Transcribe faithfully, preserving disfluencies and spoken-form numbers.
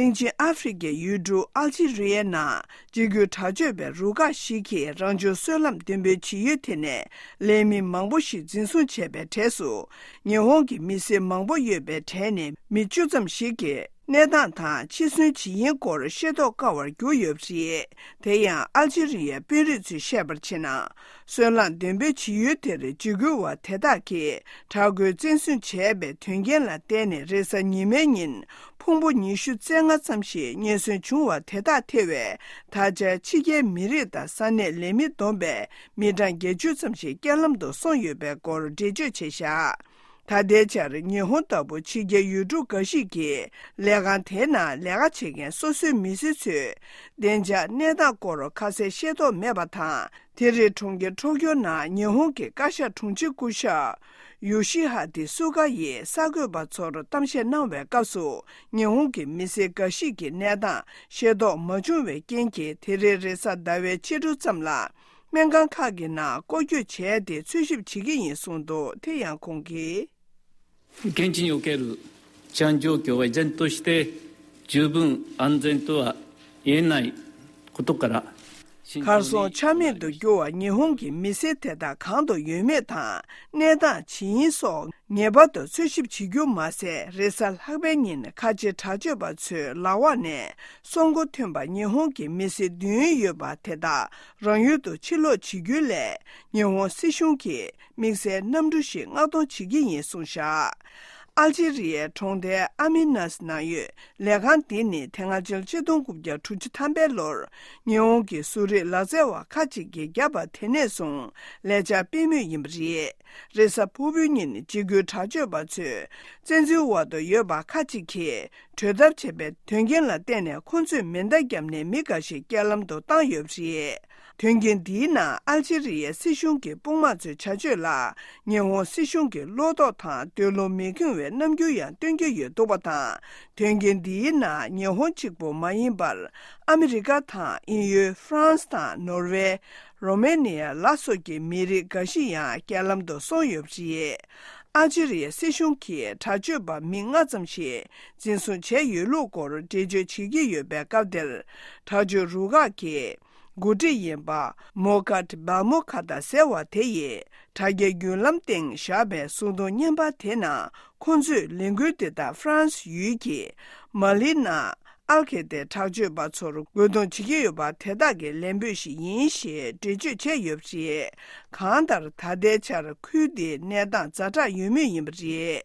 སྟེང་ཆེན་ཨ་ཧྥེ་རི་ཁའི་ཡུལ་གྲུ་ཨལ་ཇི་རི་ཡའི་ནང་གཅིག་གྱུར་དྲག་སྤྱོད་པའི་རུ་ཁག་ཞིག་གིས་རང་བྱུང་སོལ་རླངས་འདོན་སྤེལ་བྱེད་ཡུལ་དེ་ནས་ལས་མི་མང་པོ་ཞིག་འཛིན་བཟུང་བྱས་པའི་གྲས་སུ། ཉི་ཧོང་གི་མི་སེར་མང་པོ་ཡོད་པའི་གྲས་ནས་མི་བཅུ་ཙམ་ཞིག་གིས་གནས་སྟངས་དང་འཆི་གསོན་བྱེད་ཡུལ་སྐོར་ཤེས་རྟོགས་དཀའ་བར་གྱུར་ཡོད་པ་རེད། དེ་ཡང་ཨལ་ཇི་རི་ཡའི་དཔོན་རིགས་ཚོས་བཤད་པར་བྱས་ན། སོལ་རླངས་འདོན་སྤེལ་བྱེད་ཡུལ་དེར་འཇིགས་སྐུལ་བ་དེ་དག་གིས་དྲག་རྒོལ་བཙན་བཟུང་བྱས་པའི་དོན་རྐྱེན་ལ་བརྟེན་ནས། རེས་གཟའ་ཉི་མའི་ཉིན་ཕུང་པོ་ཉི་ཤུ་རྩ་ལྔ་ཙམ་ཞིག་རྙེད་སོན་བྱུང་བ་དེ་དག་ཐེ་བའི་ད་ཆ་ཕྱི་རྒྱལ་མི་རིགས་དང་ས་གནས་ལས་མི་བསྡོམས་པས་མི་གྲངས་བརྒྱད་ཅུ་ཙམ་ཞིག་རྐྱེན་ལམ་དུ་སོང་ཡོད་པའི་སྐོར་འགྲེལ་བརྗོད་བྱས་བཞག་ད་ལྟའི་ཆར་ཉི་ཧོང་ལྟ་བུ་ཕྱི་རྒྱལ་ཡུལ་གྲུ་འགའ་ཞིག་གིས་ལས་ཁང་དེའི་ནང་ལས་ཀ་བྱེད་མཁན་སོ་སོའི་མི་སེར་ཚོས་བདེ་འཇགས་གནས་སྟངས་སྐོར་ཁ་གསལ་ཤེས་རྟོགས་མེད་པ་དང་། དེ་རིང་གྲོང་ཁྱེར་ཊོ་ཀྱོ་ནང་ཉི་ཧོང་གི་བཀའ་ཤག་དྲུང་ཆེ་སྐུ་ཞབས་ཡོ་ཤི་ཧ་ཏི་སུ་ག་ཡིས་གསར་འགོད་པ་ཚོར་གཏམ་བཤད་གནང་བའི་སྐབས་སུ། ཉི་ཧོང་གི་མི་སེར་འགའ་ཞིག་གིས་གནས་སྟངས་ཤེས་རྟོགས་མ་བྱུང་བའི་རྐྱེན་གྱིས། དེ་རིང་རེས་གཟའ་ཟླ་བའི་ཕྱི་དྲོ་ཙམ་ལ། སྨན་ཁང་ཁག་གི་ནང་སྐོར་སྐྱོད་བྱས་ཏེ་འཚོལ་ཞིབ་བྱེད་ཀྱི་ཡིན་གསུངས་འདུག་དེ་ཡང་ཁོང་གིས། 現地における治安状況は依然として十分安全とは言えないことから、慎重に གར་སོང་ཆ་མེད་དུ་གྱུར་བ་ཉི་ཧོང་གི་མི་སེར་དེ་དག་གང་དུ་ཡོད་མེད་དང་། གནས་སྟངས་ཇི་ཡིན་སོགས་ངེས་པར་དུ་འཚོལ་ཞིབ་བྱེད་རྒྱུ་མ་ཟད། རེས་གཟའ་ལྷག་པའི་ཉིན་ཁ་ཆེ་དྲག་སྤྱོད་པ་ཚོའི་ལག་འོག་ནས་སྲོག་མགོ་ཐོན་པ་ཉི་ཧོང་གི་མི་སེར་བདུན་ཡོད་པ་དེ་དག་རང་ཡུལ་དུ་ཕྱིར་ལོག་བྱེད་རྒྱུའི་སླད། ཉི་ཧོང་སྲིད་གཞུང་གིས་དམིགས་བསལ་གནམ་གྲུ་ཞིག་མངགས་གཏོང་བྱེད་ཀྱི་ཡིན་གསུངས་བཞག་ཨལ་ཇི་རི་ཡའི་གྲོང་རྡལ་ཨ་མི་ནཱས་ནང་ཡོད་ལས་ཁང་འདི་ནི་དེ་སྔ་ཕྱི་ལོ་ཆིག་སྟོང་དགུ་བརྒྱ་དྲུག་ཅུ་ཐམ་པའི་ལོར་ཉི་ཧོང་གི་བཟོ་རིག་ལག་རྩལ་བ་ཁག་ཅིག་གིས་བརྒྱབ་པ་དེ་ནས་བཟུང་ལས་འཆར་སྤེལ་མུས་ཡིན་པ་རེད། རེས་གཟའ་ཕུར་བུའི་ཉིན་འཇིགས་སྐུལ་དྲག་སྤྱོད་པ་ཚོས་བཙན་འཛུལ་འོག་ཏུ་ཡོད་པ་ཁག་ཅིག་གིས་བྲོས་ཐབས་བྱས་པའི་དོན་རྐྱེན་ལ་བརྟེན་ནས། ཁོང་ཚོས་མེ་མདའ་བརྒྱབ་ནས་མི་འགའ་ཞིག་རྐྱེན་ལམ་དུ་བཏང་ཡོད་པ་རེད། དོན་རྐྱེན་འདིའི་ནང་ཨལ་ཇི་རི་ཡའི་སྲིད་གཞུང་གི་དཔུང་དམག་ཚོའི་བྱ་སྤྱོད་ལ་ཉི་ཧོང་སྲིད་གཞུང་གིས་བློ་དོགས་དང་འདོད་བློ་མི་ཁེངས་པའི་རྣམ་འགྱུར་ཡང་སྟོན་གྱི་ཡོད་འདུག་པ་དང་། དོན་རྐྱེན་འདིའི་ནང་ཉི་ཧོང་གཅིག་པུ་མ་ཡིན་པར། ཨ་མི་རི་ཀ་དང་དབྱིན་ཡུལ། ཧྥ་རན་སི་དང་ནོར་ཝེ། རོ་མེ་ནི་ཡ་ལ་སོགས་ཀྱི་མི་རིགས་འགའ་ཞིག་ཡང་རྐྱེན་ལམ་དུ་སོང་ཡོད་པ་རེད། ཨལ་ཇི་རི་ཡའི་སྲིད་གཞུང་གིས་དྲག་སྤྱོད་པ་མི་ལྔ་ཙམ་ཞིག་འཛིན་བཟུང་བྱས་ཡོད་ལུགས་སྐོར་འགྲེལ་བརྗོད་བྱེད་ཀྱི་ཡོད་པའི་སྐབས་དེར། དྲག་སྤྱོད་རུ་ཁག་གི་འགོ་ཁྲིད་ཡིན་པ་མོ་ཀཱད་བཱ་མོ་ཁ་ཏ་ཟེར་བ་དེ་ཡིས་དྲ་རྒྱའི་བརྒྱུད་ལམ་སྟེང་བཞག་པའི་གསུང་དོན་བརྙན་པར་དེ་ནང་། ཁོང་ཚོས་ལས་འགུལ་དེ་དག་ཧྥ་རན་སི་ཡུལ་གྱི་མ་ལི་ནང་ཨལ་ཁེ་ཏའི་དྲག་སྤྱོད་པ་ཚོར་རྒོལ་རྡུང་བྱེད་ཀྱི་ཡོད་པ་དེ་དག་གི་ལན་འབོད་ཞིག་ཡིན་ཞེས་འགྲེལ་བརྗོད་བྱས་ཡོད་པ་རེད། གང་ལྟར་ད་ལྟའི་ཆར་ཁུལ་དེའི་གནས་སྟངས་ཛ་དྲག་ཡོད་མུས་ཡིན་པ་རེད།